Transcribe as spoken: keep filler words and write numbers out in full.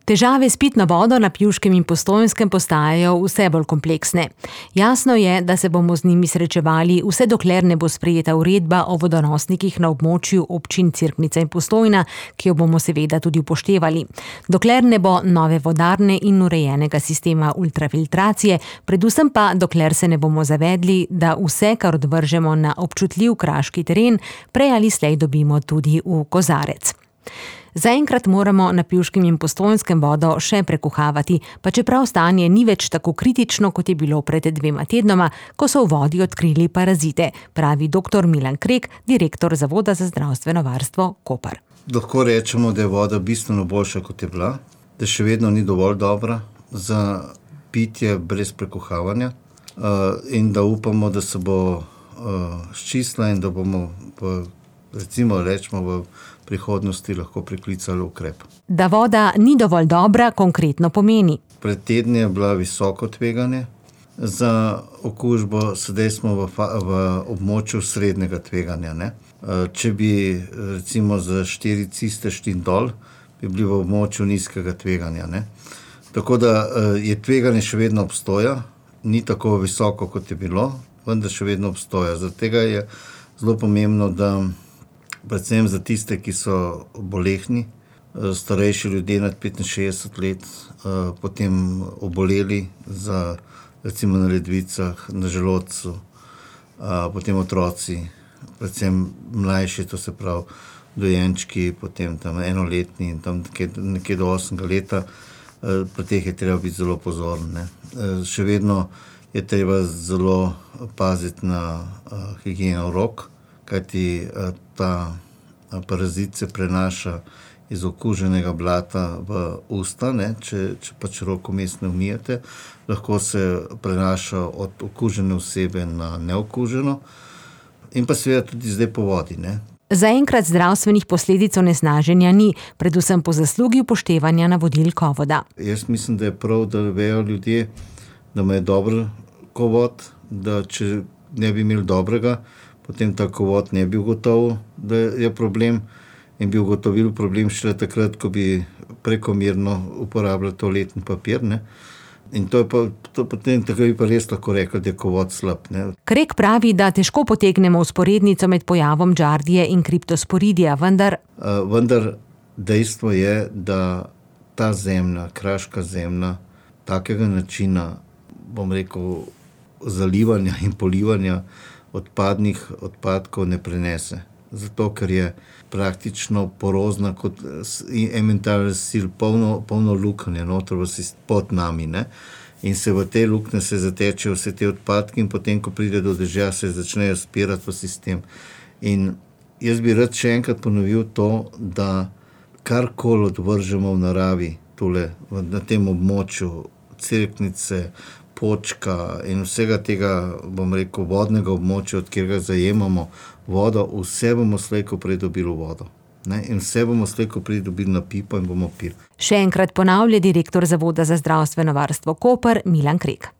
Težave s pitno vodo na Pivškem in Postojnskem postajajo vse bolj kompleksne. Jasno je, da se bomo z njimi srečevali vse dokler ne bo sprejeta uredba o vodonosnikih na območju občin Cerknica in Postojna, ki jo bomo seveda tudi upoštevali. Dokler ne bo nove vodarne in urejenega sistema ultrafiltracije, predvsem pa dokler se ne bomo zavedli, da vse, kar odvržemo na občutljiv kraški teren, prej ali slej dobimo tudi v kozarec. Zaenkrat moramo na Pivškem in Postojnskem vodo še prekuhavati, pa čeprav stanje ni več tako kritično, kot je bilo pred dvema tednoma, ko so v vodi odkrili parazite, pravi doktor Milan Krek, direktor Zavoda za zdravstveno varstvo Koper. Lahko rečemo, da je voda bistveno boljša, kot je bila, da še vedno ni dovolj dobra za pitje brez prekuhavanja in da upamo, da se bo sčistila in da bomo v, recimo rečemo v prihodnosti lahko priklicali ukrep. Da voda ni dovolj dobra, konkretno pomeni. Pred tedni je bila visoko tveganje za okužbo, sedaj smo v, v območju srednjega tveganja. Ne? Če bi recimo za štiri ciste šli dol, bi bili v območju nizkega tveganja. Ne? Tako da je tveganje še vedno obstoja, ni tako visoko, kot je bilo, vendar še vedno obstoja. Zaradi tega je zelo pomembno, da predvsem za tiste, ki so bolehni, starejši ljudje nad petinšestdeset let, potem oboleli za recimo na ledvicah, na želodcu, potem otroci, predvsem mlajši, to se pravi dojenčki, potem tam enoletni in tam nekje do osmega leta, pri teh je treba biti zelo pozoren. Ne. Še vedno je treba zelo paziti na higieno rok, kajti ta parazit se prenaša iz okuženega blata v usta, ne? Če, če pač rok vmes ne umijete, lahko se prenaša od okužene osebe na neokuženo in pa seveda tudi zdaj po vodi. Ne? Zaenkrat zdravstvenih posledic onesnaženja ni, predvsem po zaslugi upoštevanja navodil Kovoda. Jaz mislim, da je prav, da vejo ljudje, da ima dobro kovod, da če ne bi imeli dobrega, potem ta kovod ne bi ugotovil, da je problem in bi ugotovil problem šele takrat, ko bi prekomerno uporabljali toaletni papir. Ne? In to je pa, to potem tako bi pa res lahko rekel, da je kovod slab. Ne? Krek pravi, da težko potegnemo vzporednico med pojavom Giardije in kriptosporidija, vendar... Uh, vendar dejstvo je, da ta zemlja, kraška zemlja, takega načina, bom rekel, zalivanja in polivanja odpadnih odpadkov ne prenese. Zato, ker je praktično porozna kot elementarni sil, polno, polno luknje noter pod nami. Ne? In se v te luknje se zatečejo vse te odpadke in potem, ko pride do dežja, se začnejo spirati v sistem. In jaz bi rad še enkrat ponovil to, da karkoli odvržemo v naravi, tule, na tem območju Cerknice, Počka in vsega tega, bom rekel, vodnega območja, od kjer ga zajemamo vodo, vse bomo slejko prej dobili vodo. Ne? In vse bomo slejko prej dobili na pipo in bomo pili. Še enkrat ponavlja direktor Zavoda za zdravstveno varstvo Koper Milan Krek.